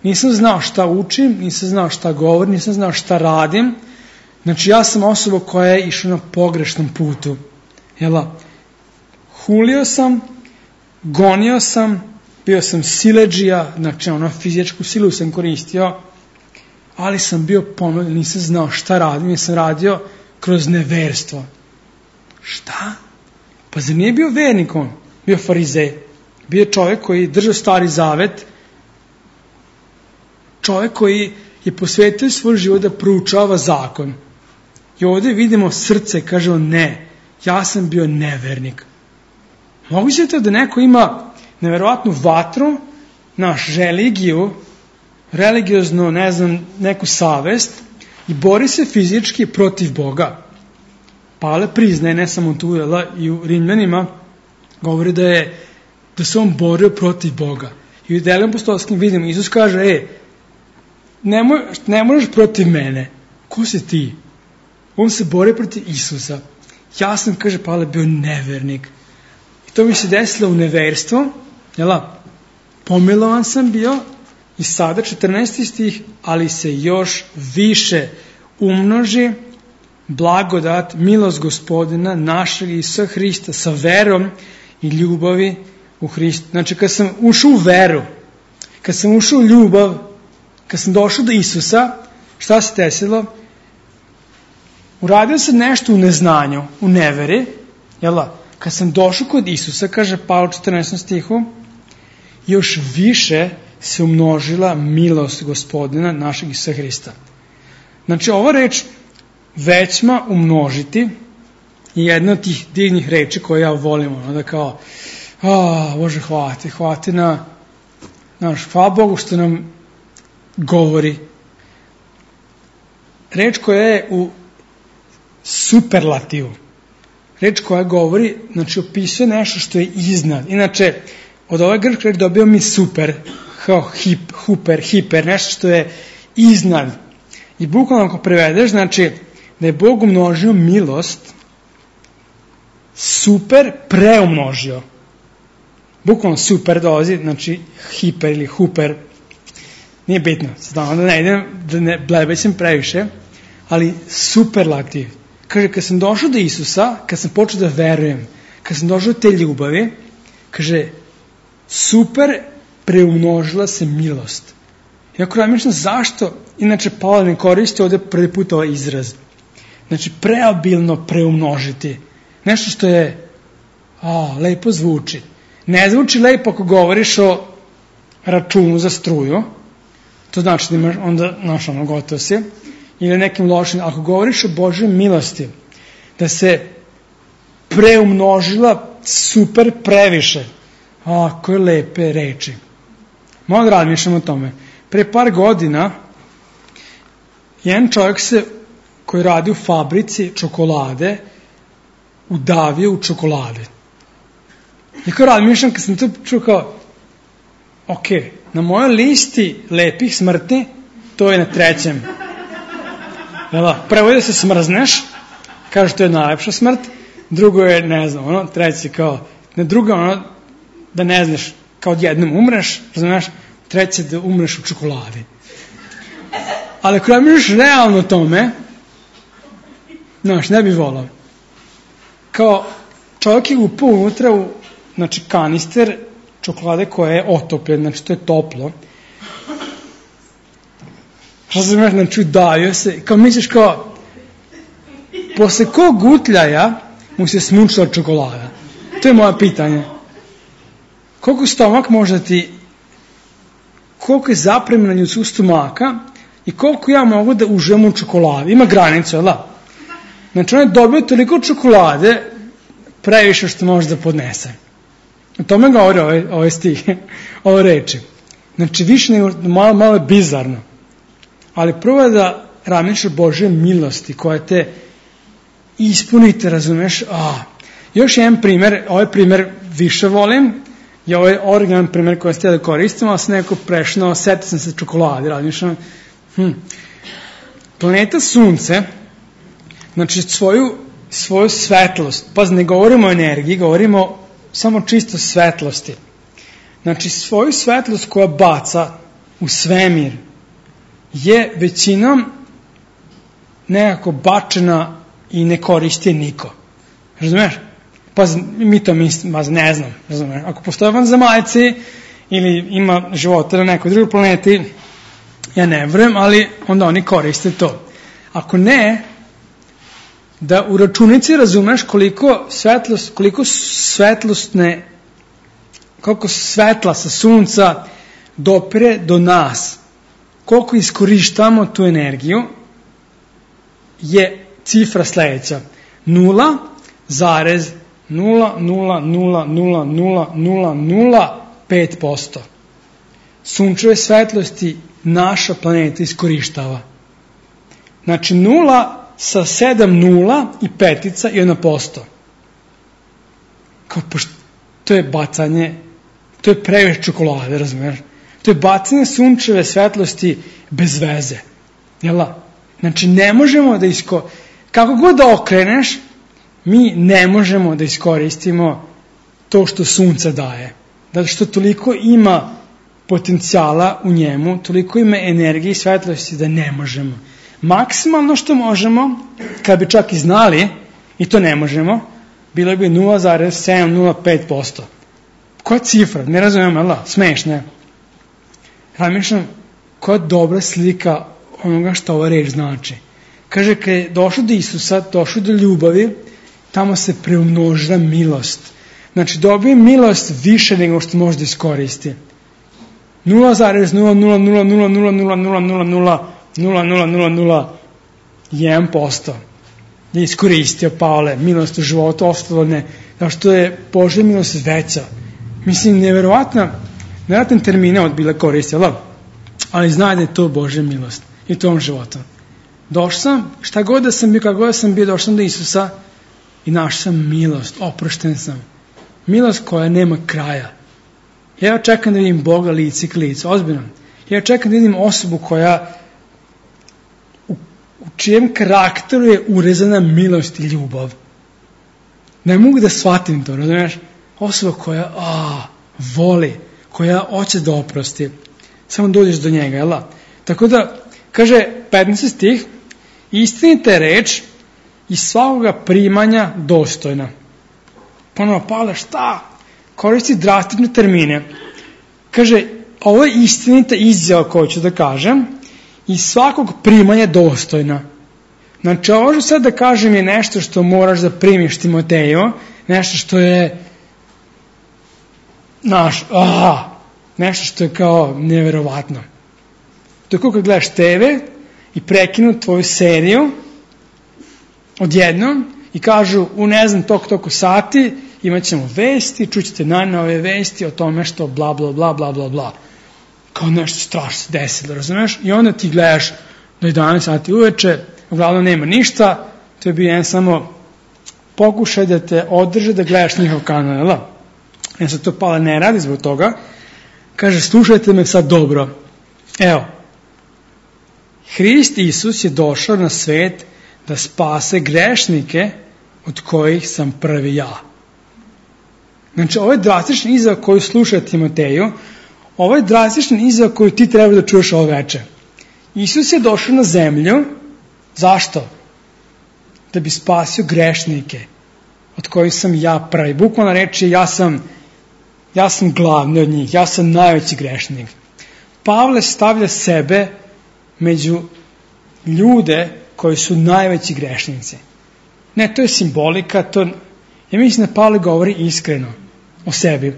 [SPEAKER 1] Nisam znao šta učim, nisam znao šta govorim, nisam znao šta radim. Znači, ja sam osoba koja je išla na pogrešnom putu. Jel' da? Hulio sam, gonio sam, bio sam siledžija, znači ono fizičku silu sam koristio, ali sam bio pomogao, nisam znao šta radim, nisam radio kroz neverstvo. Šta? Pa zar nije bio vernik on? Bio farizej. Bio čovjek koji držao stari zavet, čovjek koji je posvetio svoj život da proučava zakon. I ovdje vidimo srce, kaže on, ne, ja sam bio nevernik. Moguće je to da neko ima neverovatnu vatru, naš religiju, religiozno, ne znam, neku savest i bori se fizički protiv Boga. Pavle priznaje, ne samo tu, jel, i u Rimljanima govori da je da se on borio protiv Boga. I u Delima apostolskim vidimo, Isus kaže, e, ne, moj, ne možeš protiv mene. Ko si ti? On se bori protiv Isusa. Ja sam, kaže Pavle, bio nevernik. I to mi se desilo u neverstvu, jel, pomilovan sam bio i sada četrnaesti stih, ali se još više umnoži blagodat, milost Gospodina našeg Isusa Hrista sa verom i ljubavi u Hristu. Znači, kad sam ušao u veru, kad sam ušao u ljubav, kad sam došao do Isusa, šta se desilo? Uradio sam nešto u neznanju, u neveri, jel da? Kad sam došao kod Isusa, kaže Pavle u četrnaestom stihu, još više se umnožila milost Gospodina našeg Isusa Hrista. Znači, ova reč većma umnožiti je jedna od tih divnih reči koje ja volim, ono da kao, a, Bože, hvala ti, hvala ti na, znaš, hvala Bogu što nam govori. Reč koja je u superlativu. Reč koja govori, znači, opisuje nešto što je iznad. Inače, od ove grčke reči dobio mi super, hip, huper, hiper, nešto što je iznad. I bukvalno ako prevedeš, znači, da je Bog umnožio milost, super preumnožio. Bukvalno super dolazi, znači, hiper ili huper, nije bitno, znam da ne idem, da ne blebećem previše, ali superlativ. Kaže, kad sam došao do Isusa, kad sam počeo da verujem, kad sam došao do te ljubavi, kaže, super preumnožila se milost. Iako razmišljam zašto, inače Pavle ne koristi ovde prvi put ovaj izraz. Znači, preobilno preumnožiti. Nešto što je, a, lepo zvuči. Ne zvuči lepo ako govoriš o računu za struju, to znači da imaš onda, znaš, ono, gotovo si, ili nekim lošim, ako govoriš o Božoj milosti, da se preumnožila super previše, a, koje lepe reči. Malo da razmišljam o tome. Pre par godina, jedan čovjek se, koji radi u fabrici čokolade, udavio u čokolade. I kao razmišljam, kad sam to čuo kao, ok, na mojoj listi lepih smrti, to je na trećem. Jela, prvo je da se smrzneš, kaže to je najlepša smrt, drugo je, ne znam, ono, treći kao, ne drugo ono, da ne znaš, kao odjednom umreš, znaš, treće da umreš u čokoladi. Ali ako razmišljaš realno o tome, znaš, ne bi volao. Kao čovjek je upao unutra u, znači, kanister čokolade koja je otopljen, znači to je toplo. Što se znaš, znači udavio se, kao misliš kao, posle kog gutljaja mu se smučila čokolada? To je moje pitanje. Koliko stomak može ti, koliko je zapremljeno ljudskog stomaka i koliko ja mogu da uživam u čokoladi? Ima granicu, jel da? Znači on je dobio toliko čokolade, previše što može da podnese. O tome govori ove, ove stih, ove reči. Znači više nego, malo, malo je bizarno. Ali prvo je da razmišljaš Božje milosti koja te ispunite, razumeš? A, još jedan primjer, ovaj primjer više volim, je ovaj originalan primjer koji ste da koristim, ali sam neko prešno, setio sam se čokolade, razmišljam. Hm. Planeta Sunce, znači svoju, svoju svetlost, pa ne govorimo o energiji, govorimo samo čisto svetlosti. Znači svoju svetlost koja baca u svemir je većinom nekako bačena i ne koristi niko. Razumeš? Pa mi to mislim, pa ne znam. Razumeš? Ako postoje vanzemaljci ili ima života na nekoj drugoj planeti, ja ne vjerujem, ali onda oni koriste to. Ako ne, da u računici razumeš koliko svetlost, koliko svetlosne, koliko svetla sa sunca dopire do nas, koliko iskorištamo tu energiju, je cifra sledeća. nula zarez nula nula nula nula nula nula nula pet posto. Sunčeve svetlosti naša planeta iskorištava. Znači nula sa sedam nula i petica i jedna posto. Kao, pošto, to je bacanje, to je previše čokolade, razumiješ? To je bacanje sunčeve svetlosti bez veze. Jela? Znači ne možemo da isko... Kako god da okreneš, mi ne možemo da iskoristimo to što sunce daje. Zato što toliko ima potencijala u njemu, toliko ima energije i svetlosti da ne možemo. Maksimalno što možemo, kad bi čak i znali, i to ne možemo, bilo bi nula zarez sedam nula pet posto. Koja cifra? Ne razumijem, ali smešno je. Razmišljam, koja dobra slika onoga što ova reč znači. Kaže, kad je došlo do Isusa, došlo do ljubavi, tamo se preumnožila milost. Znači, dobije milost više nego što može da iskoristi. nula zarez nula nula nula nula nula nula nula nula nula nula nula nula jedan posto je iskoristio Pavle milost u životu, ostalo ne, zato što je Božja milost veća. Mislim, neverovatna, nevjerojatan termine od bila koristila, ali zna da je to Božja milost i tom životu. Došao sam, šta god da sam bio, kako god da sam bio, došao sam do Isusa i našao sam milost, oprošten sam. Milost koja nema kraja. Ja čekam da vidim Boga lice k licu, ozbiljno. Ja čekam da vidim osobu koja, u, u čijem karakteru je urezana milost i ljubav. Ne mogu da shvatim to, razumiješ? Osoba koja a, voli, koja hoće da oprosti. Samo dođeš do njega, jel? Tako da, kaže petnaesti stih, istinita je reč i svakoga primanja dostojna. Ponovo, Pavle, šta? Koristi drastične termine. Kaže, ovo je istinita izjava koju ću da kažem i svakog primanja dostojna. Znači, ovo ću sad da kažem je nešto što moraš da primiš, Timoteju, nešto što je naš, aha, nešto što je kao neverovatno. To je kao kad gledaš te ve i prekinu tvoju seriju odjednom i kažu u ne znam toliko toliko sati imat ćemo vesti, čućete najnove vesti o tome što bla bla bla bla bla bla. Kao nešto strašno se desilo, razumeš? I onda ti gledaš do jedanaest sati uveče, uglavnom nema ništa, to je bio jedan samo pokušaj da te održe da gledaš njihov kanal, jel? Ja se to Pavle ne radi zbog toga. Kaže, slušajte me sad dobro. Evo, Hrist Isus je došao na svet da spase grešnike od kojih sam prvi ja. Znači, ovo je drastični izjava koju sluša Timoteju, ovo je drastični izjava koju ti treba da čuješ ovo veče. Isus je došao na zemlju, zašto? Da bi spasio grešnike od kojih sam ja prvi. Bukvalna reč je ja sam, ja sam glavni od njih, ja sam najveći grešnik. Pavle stavlja sebe među ljude koji su najveći grešnici. Ne, to je simbolika, to, ja mislim da Pavle govori iskreno o sebi.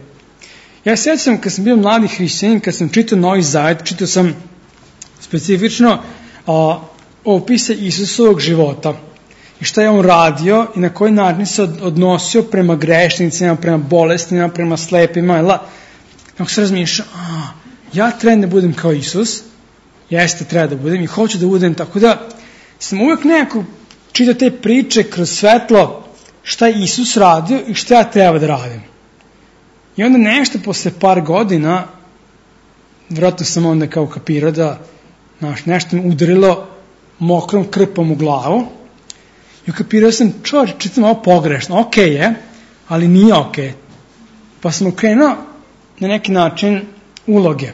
[SPEAKER 1] Ja se sjećam kad sam bio mladi hrišćanin, kad sam čitao Novi Zavet, čitao sam specifično a, opise Isusovog života i šta je on radio i na koji način se odnosio prema grešnicima, prema bolestima, prema slepima. Jel? Ako se razmišlja, a, ja trebam da budem kao Isus, jeste, treba da budem i hoću da budem, tako da sam uvijek nekako čitao te priče kroz svetlo šta je Isus radio i šta ja treba da radim. I onda nešto posle par godina, vjerojatno sam onda kao kapirao da znaš, nešto mi udarilo mokrom krpom u glavu i ukapirao sam, čovječ, čitam ovo pogrešno, ok je, ali nije ok. Pa sam okrenuo na neki način uloge.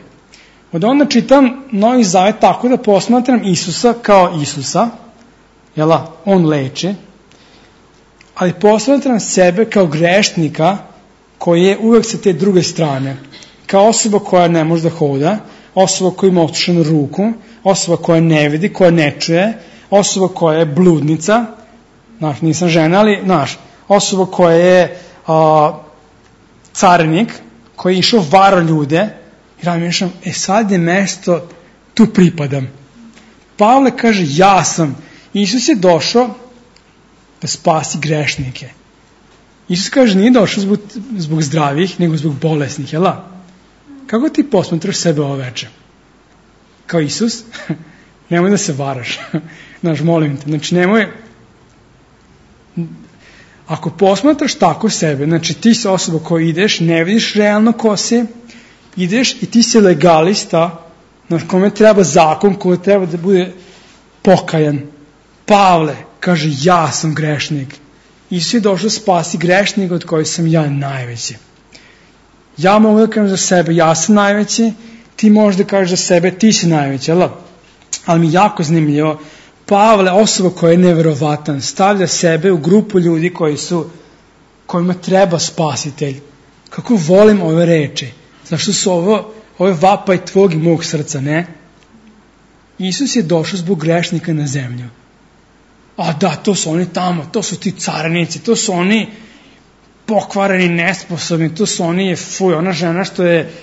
[SPEAKER 1] Od onda čitam Novi Zavet tako da posmatram Isusa kao Isusa, jela, on leči, ali posmatram sebe kao grešnika koji je uvek sa te druge strane, kao osoba koja ne može da hoda, osoba koja ima otušenu ruku, osoba koja ne vidi, koja ne čuje, osoba koja je bludnica, znaš, nisam žena, ali, znaš, osoba koja je a, carinik, koji je išao varo ljude, i razmišljam, e sad je mesto, tu pripadam. Pavle kaže, ja sam. Isus je došao da spasi grešnike. Isus kaže, nije došao zbog, zbog zdravih, nego zbog bolesnih, jel? Kako ti posmatraš sebe ovo veče? Kao Isus? Nemoj da se varaš. Znaš, molim te. Znači, nemoj... Ako posmatraš tako sebe, znači ti si osoba koja ideš, ne vidiš realno ko si, ideš i ti si legalista, na kome treba zakon, koji treba da bude pokajan. Pavle kaže, ja sam grešnik. Isus je došao spasi grešnik od kojih sam ja najveći. Ja mogu da kažem za sebe, ja sam najveći, ti možeš da kažeš za sebe, ti si najveći, jel? Ali mi jako zanimljivo, Pavle, osoba koja je neverovatan, stavlja sebe u grupu ljudi koji su kojima treba spasitelj. Kako volim ove reči. Zašto su ovo, ove vapaj tvog i mog srca, ne? Isus je došao zbog grešnika na zemlju. A da, to su oni tamo, to su ti carinici, to su oni pokvareni, nesposobni, to su oni, fuj, ona žena što je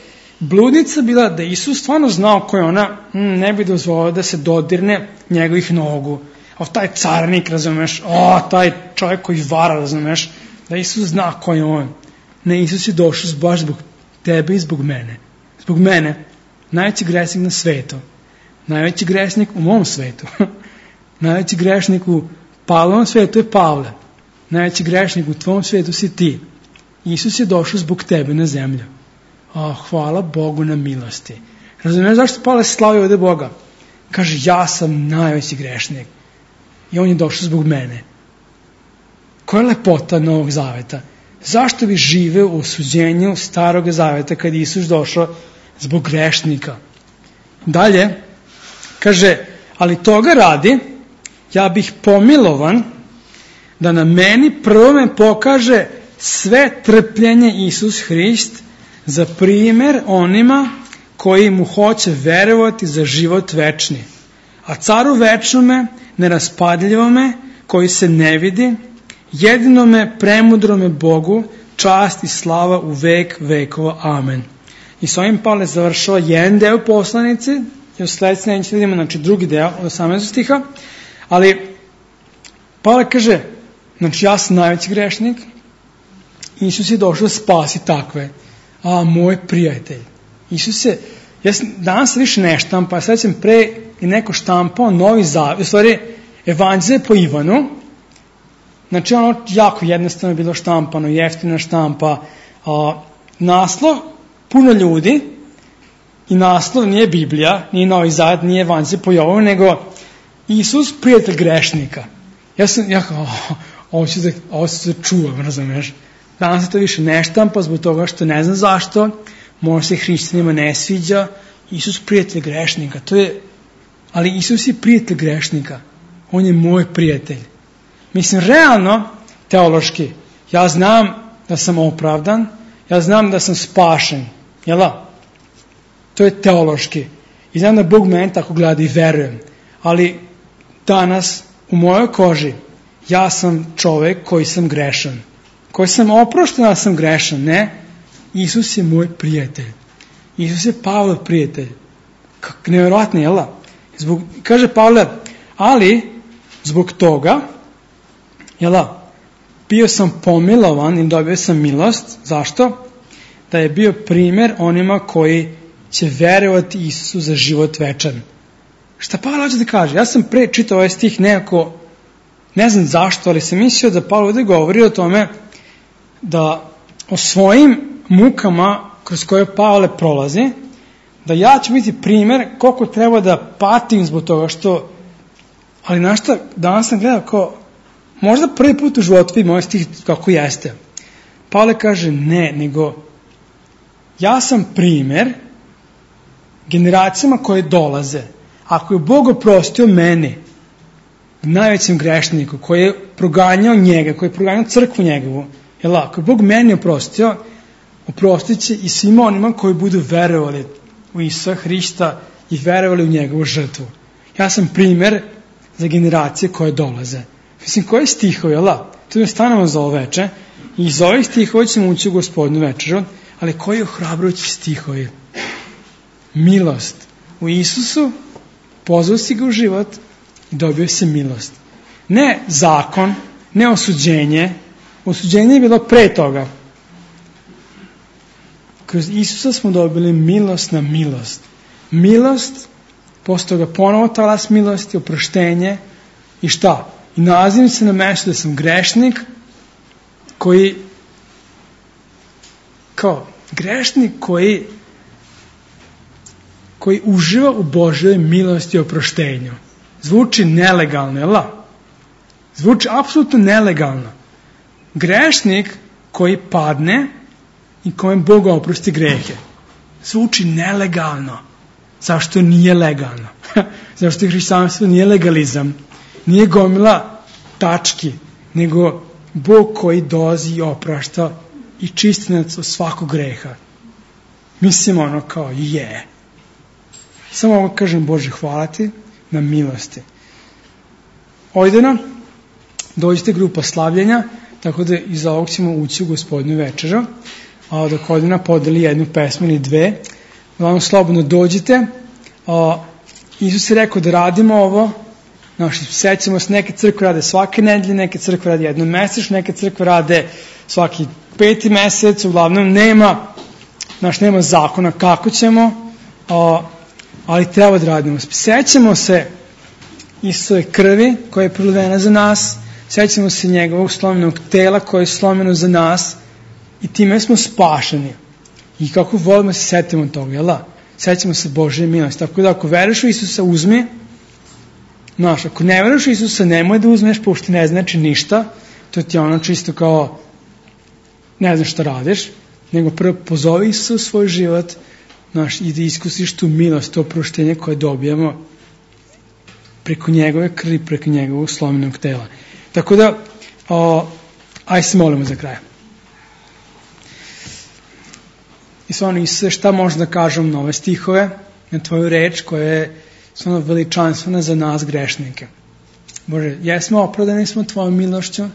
[SPEAKER 1] bludnica bila, da Isus stvarno znao ko je ona, ne bi dozvolio da se dodirne njegovih nogu. A taj carinik, razumeš, o, taj čovjek koji vara, razumeš, da Isus zna ko je on. Ne, Isus je došao baš zbog tebe i zbog mene. Zbog mene, najveći gresnik na svetu, najveći gresnik u mom svetu, najveći grešnik u Pavlovom svetu je Pavle, najveći grešnik u tvom svetu si ti. Isus je došao zbog tebe na zemlju. O, hvala Bogu na milosti. Razumiješ zašto Pavle slavi ovdje Boga? Kaže, ja sam najveći grešnik. I on je došao zbog mene. Koja je lepota Novog Zaveta? Zašto bi živeo u osuđenju Starog Zaveta kad je Isus došao zbog grešnika? Dalje, kaže, ali toga radi, ja bih pomilovan da na meni prvome pokaže sve trpljenje Isus Hrist za primjer onima koji mu hoće verovati za život večni. A caru večnome, neraspadljivome, koji se ne vidi, jedinome premudrome Bogu, čast i slava u vek vekova. Amen. I s ovim Pavle završava jedan deo poslanice, i u sljedeći neće vidimo, znači drugi deo od osamnaestog stiha, ali Pavle kaže, znači ja sam najveći grešnik, Isus je došao da spasi takve. A, moj prijatelj. Isus je, ja sam, danas više ne štampa, sad sam pre i neko štampao Novi Zavet, u stvari Evanđelje po Ivanu, znači ono jako jednostavno je bilo štampano, jeftina štampa, a, naslov, puno ljudi, i naslov nije Biblija, nije Novi Zavet, nije Evanđelje po Jovanu, nego Isus, prijatelj grešnika. Ja sam, ja kao, oh, ovo ću da, ovo ću da čuvam, razumiješ? Danas se to više ne štampa zbog toga što ne znam zašto, možda se hrišćanima ne sviđa, Isus prijatelj grešnika, to je, ali Isus je prijatelj grešnika, on je moj prijatelj. Mislim, realno, teološki, ja znam da sam opravdan, ja znam da sam spašen, jel da? To je teološki. I znam da Bog meni tako gleda i verujem. Ali danas u mojoj koži ja sam čovjek koji sam grešan. Koji sam oprošten, da sam grešan. Ne. Isus je moj prijatelj. Isus je Pavlov prijatelj. Kako nevjerojatno, jel da? Zbog, kaže Pavle, ali zbog toga, jel da, bio sam pomilovan i dobio sam milost. Zašto? Da je bio primjer onima koji će verovati Isusu za život večan. Šta Pavle hoće da kaže? Ja sam pre čitao ovaj stih nekako, ne znam zašto, ali sam mislio da Pavle ovdje govori o tome da o svojim mukama kroz koje Pavle prolazi, da ja ću biti primjer koliko treba da patim zbog toga što, ali znaš šta, danas sam gledao kao, možda prvi put u životu vidim ovaj stih kako jeste. Pavle kaže ne, nego ja sam primjer generacijama koje dolaze. Ako je Bog oprostio meni, najvećem grešniku, koji je proganjao njega, koji je proganjao crkvu njegovu, jel, ako je Bog meni oprostio, oprostit će i svima onima koji budu verovali u Isusa Hrista i verovali u njegovu žrtvu. Ja sam primjer za generacije koje dolaze. Mislim, koji stihovi, jel, to je stanemo za ovo veče, i iz ovih stihova ćemo ući u Gospodnju večeru, ali koji ohrabrujući stihovi? Milost. U Isusu pozvao si ga u život i dobio si milost. Ne zakon, ne osuđenje. Osuđenje je bilo pre toga. Kroz Isusa smo dobili milost na milost. Milost, posle toga ponovo talas milosti, oproštenje i šta? I nalazim se na mjestu da sam grešnik koji, kao grešnik koji koji uživa u Božjoj milosti i oproštenju. Zvuči nelegalno, jel? Zvuči apsolutno nelegalno. Grešnik koji padne i kojem Bog oprosti grehe. Zvuči nelegalno. Zašto nije legalno? Zašto hrišćanstvo nije legalizam? Nije gomila tački, nego Bog koji dolazi i oprašta i čisti nas od svakog greha. Mislim ono kao je. Yeah. Samo ovo kažem, Bože, hvala ti na milosti. Ojdeno, dođite grupa slavljenja, tako da iz ovog ćemo ući u Gospodnju večeru, a dok Ojdena podeli jednu pesmu ili dve, vam slobodno dođite. A, Isus je rekao da radimo ovo, znači, sećamo se, neke crkve rade svake nedelje, neke crkve rade jednom mesečno, neke crkve rade svaki peti mesec, uglavnom nema, znači, nema zakona kako ćemo, a, ali treba da radimo. Sećamo se Isusove krvi koja je prolivena za nas, sećamo se njegovog slomljenog tela koje je slomljeno za nas i time smo spašeni. I kako volimo se setimo toga, jel da? Sećamo se Božje milosti. Tako da ako veruješ u Isusa, uzmi. Znaš, ako ne veruješ u Isusa, nemoj da uzmeš, pošto ne znači ništa. To ti je ono čisto kao ne znaš šta radiš, nego prvo pozovi Isusa u svoj život, znaš, i da iskusiš tu milost, to oproštenje koje dobijamo preko njegove krvi, preko njegovog slomljenog tela. Tako da, o, aj se molimo za kraj. I stvarno, Isuse, šta možda da kažem na ove stihove, na tvoju reč koja je stvarno veličanstvena za nas grešnike. Bože, jesmo opravdani smo tvojom milošću,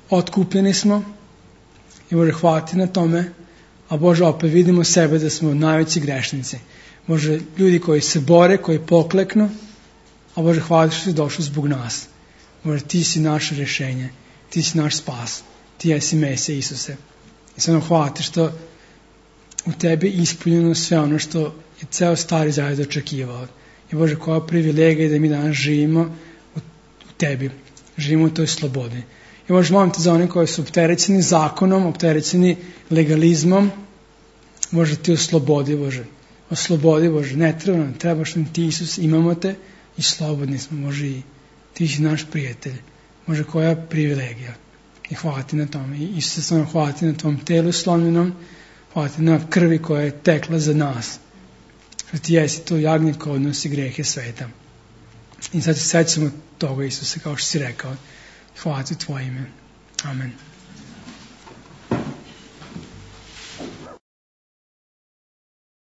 [SPEAKER 1] otkupljeni smo i Bože, hvala ti na tome, a Bože, opet vidimo sebe da smo najveći grešnici. Bože, ljudi koji se bore, koji pokleknu, a Bože, hvala ti što si došao zbog nas. Bože, ti si naše rješenje, ti si naš spas, ti jesi Mesija Isuse. I stvarno hvala ti što u tebi ispunjeno sve ono što je ceo Stari Zavet očekivao. I Bože, koja privilegija da mi danas živimo u, u tebi, živimo u toj slobodi. I Bože, molim te za one koji su opterećeni zakonom, opterećeni legalizmom, Bože, ti oslobodi, Bože, oslobodi, Bože, ne treba nam, trebaš nam ti, Isus, imamo te i slobodni smo, Bože, i ti si naš prijatelj, Bože, koja privilegija. I hvala ti na tome. I Isuse, samo hvala ti na tvom telu slomljenom, hvala ti na krvi koja je tekla za nas. Što ti jesi to jagnje koje odnosi grehe sveta. I sad se sećamo toga, Isuse, kao što si rekao. Hvala ti u tvoje ime. Amen.